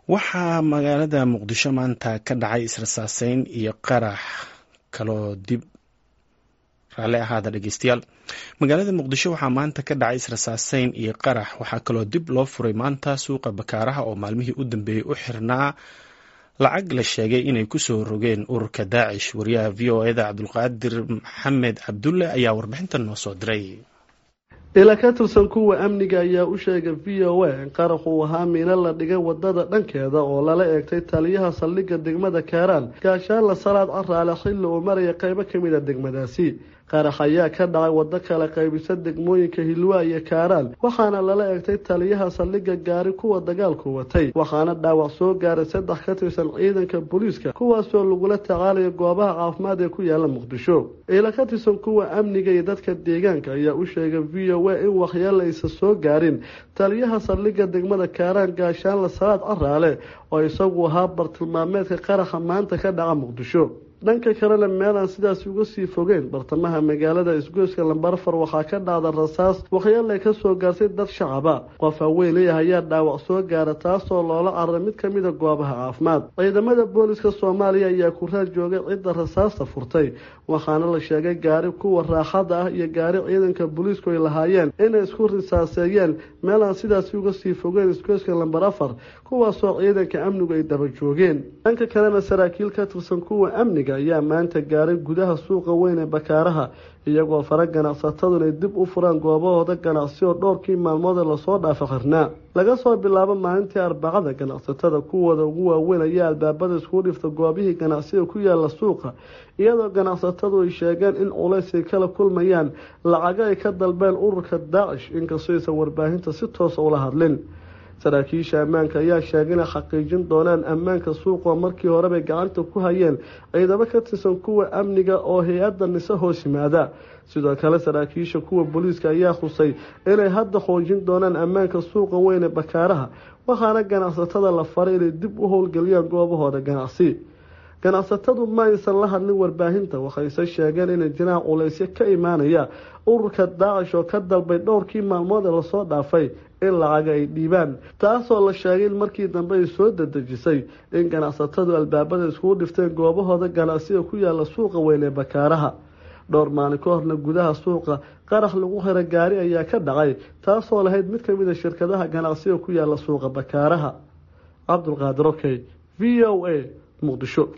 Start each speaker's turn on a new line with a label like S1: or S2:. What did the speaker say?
S1: Waxaa magaalada Muqdisho maanta ka dhacay israsaaseyn iyo qarax kaloo dib raalli ahaada dhegeystayaal. Magaalada Muqdisho waxaa maanta ka dhacay israsaaseyn iyo qarax. Waxaa kaloo dib loo furay maanta suuqa Bakaaraha oo maalmihii u dambeeyey u xirnaa lacag la sheegay inay kusoo rogeen ururka Daacish. Wariyaha VOA-da Cabdulqaadir Maxamed Cabdulle ayaa warbixintan noo soo diray.
S2: Ila ka tirsan kuwa amniga ayaa u sheegay VOA in qaraxu ahaa miino la dhigay wadada dhankeeda oo lala eegtay taliyaha saldhigga degmada Kaaraan, Gaashaanla Salaad Caraale, xilli uu maraya qeybo ka mid a degmadaasi. Qarax ayaa ka dhacay waddo kala qaybisa degmooyinka Hilwaa iyo Kaaraan, waxaana lala eegtay taliyaha saldhigga gaari kuwa dagaalku watay, waxaana dhaawac soo gaaray saddex ka tirsan ciidanka booliiska, kuwaasoo lagula tacaalayo goobaha caafimaad ee ku yaala Muqdisho. Ila ka tirsan kuwa amniga iyo dadka deegaanka ayaa u sheegay VOA in waxyeelo aysan soo gaarin taliyaha saldhigga degmada Kaaraan, Gaashaanla Salaad Caraale, oo isagu ahaa bartilmaameedka qaraxa maanta ka dhaca Muqdisho. Dhanka kalena, meel aan sidaas uga sii fogeyn bartamaha magaalada, isgoyska Lambar 4, waxaa ka dhacda rasaas waxyeelay ka soo gaartay dad shacaba. Qof haweeney ayaa dhaawac soo gaara, taasoo loola cararay mid ka mid a goobaha caafimaad. Ciidamada booliska Soomaaliya ayaa ku raad joogay cidda rasaasta furtay, waxaana la sheegay gaari kuwa raaxada ah iyo gaari ciidanka booliisku ay lahaayeen inay isku risaaseeyeen meel aan sidaasi uga sii fogeyn isgoyska Lambar 4, kuwaasoo ciidanka amnigu ay daba joogeen. Dhanka kalena, saraakiil ka tirsan kuwa amniga ayaa maanta gaaray gudaha suuqa weyn ee Bakaaraha, iyagoo fara ganacsataduna ay dib u furaan goobahooda ganacsi oo dhowrkii maalmood ee lasoo dhaafa xirnaa. Laga soo bilaabo maalintii Arbacada, ganacsatada kuwooda ugu waaweyn ayaa albaabada iskugu dhifta goobihii ganacsiga ku yaala suuqa, iyadoo ganacsatadu ay sheegeen in culays ay kala kulmayaan lacago ay ka dalbeen ururka Daacish, inkastoo aysan warbaahinta si toosa ula hadlin. Saraakiisha ammaanka ayaa sheegay inay xaqiijin doonaan ammaanka suuqa, markii horebay gacanta ku hayeen ciidamo ka tirsan kuwa amniga oo hay-adda NISA hoos yimaada. Sidoo kale, saraakiisha kuwa booliiska ayaa xusay inay hadda xoojin doonaan ammaanka suuqa weyn ee Bakaaraha, waxaana ganacsatada la faray inay dib u howlgeliyaan goobahooda ganacsi. Ganacsatadu ma aysan la hadlin warbaahinta, waxayse sheegeen inay jiraan culaysyo ka imaanaya ururka Daacish oo ka dalbay dhowrkii maalmood ee lasoo dhaafay in lacaga ay dhiibaan, taasoo la sheegay in markii dambe ay soo dedejisay in ganacsatadu albaabada iskugu dhifteen goobahooda ganacsiga ku yaala suuqa weyn ee Bakaaraha. Dhowr maalin ka horna, gudaha suuqa qarax lagu xira gaari ayaa ka dhacay, taasoo lahayd mid ka mid a shirkadaha ganacsiga ku yaala suuqa Bakaaraha. Cabdulqaadir Okey, VOA, Muqdisho.